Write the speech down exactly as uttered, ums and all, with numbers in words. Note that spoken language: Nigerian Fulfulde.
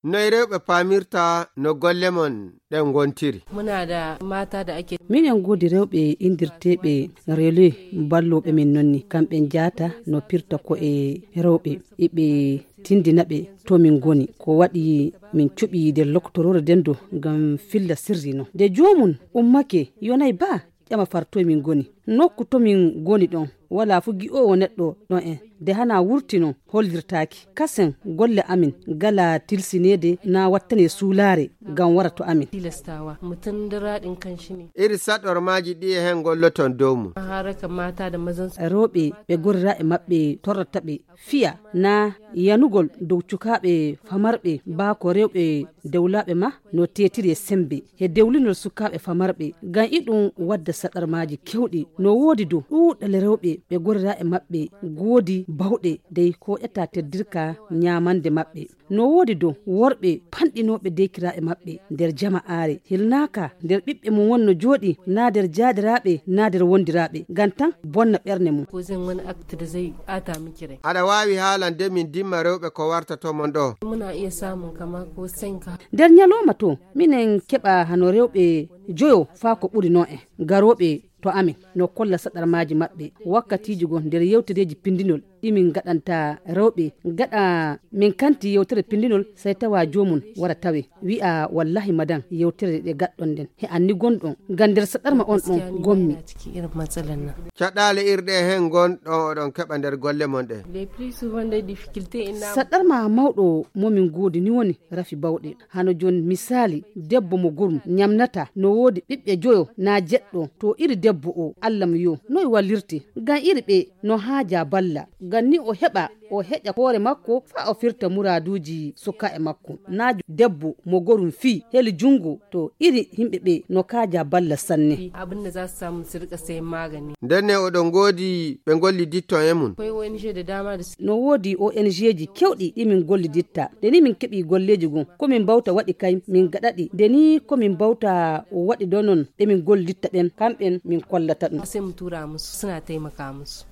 Noy rewɓe paamirta no golle mon ɗen gontiri. Muna da mata da ake minen godi rewɓe indirteɓe relais balloɓe min nonni kamɓe jata no pirta ko e rewɓe eɓe tindina ɓe to min goni ko waɗi min cuɓi nder loktorore dendo ngam filla sirri no de jomum ummake yonay ba ƴama fartoye min goni nokku to min goni ɗon wala fu gi'owo neɗɗo ɗon en de hana wurtino hollirtaki kasen golle amin gala tilsinede na wattane suulare gam wara to amin tilastawa mutum da raɗin kanshi ne iri saɗormaji ɗi e hen golloton dow mum haraka mata da mazan rewɓe ɓe gorra e maɓɓe torrata ɓe fiya na yanugol dow cukaɓe famarɓe ba ko rewɓe dewlaɓe ma no tetiri e sembe e dewlinol sukaɓe famarɓe gam iɗum wadda saɗarmaji kewɗi no wodi dow ɗuɗal rewɓe ɓe gorra e maɓɓe goodi bawɗe dey ko ƴetta teddirka nyamande maɓɓe no wodi dow worɓe panɗinoɓe dekira e maɓɓe nder jama'are hilnaka nder ɓiɓɓe mum wonno jooɗi na nder jaadiraɓe na nder wondiraɓe gam tan bonna ɓerne mum ko zan wani acte da zai ata miki rai aɗa wawi haalande min dimma rewɓe ko warta to mon ɗo muna iya samun kama ko senka nder nyaloma to minen keɓa hano rewɓe joyo faa ko ɓuri no en garoɓe to amin no kolla saɗarmaji maɓɓe wakkatiji gon nder yewtereji pindinol ɗimin gaɗanta rewɓe gaɗa min kanti yewtere pindinol sai tawa jomum wara tawe wi'a wallahi madan yewtere ɗe gaɗɗon nden he anni gonɗon gam nder saɗarma on ɗon gommi caɗale irɗe hen gonɗon oɗon keɓa nder golle mon ɗe saɗarma mawɗo momin goodi ni woni rafi bawɗe hano joni misali debbo mo gurum nyamnata no wodi ɓiɓɓe joyo na jeɗɗo to iri debbo o Allah mo yo noy wallirte gam iri ɓe no haaja balla gam ni o heɓa o heƴa hoore makko fa o firta muraduji suka e makko na debbo mo gorum fi heli jungo to iri himɓe ɓe no kaaja balla sanne abinda za su samu su rika sayen magani ndenne oɗon godi ɓe golli ditton e mun akwai O N G da dama da no wodi O N G ji kewɗi ɗi min golli ditta de ni min keɓi golleji gon ko min bawta waɗi kay min gaɗaɗi de ni ko min bawta waɗi donon ɗe min golli ditta ɗen kamɓen min kollata ɗum sai mu tura musu suna taimaka musu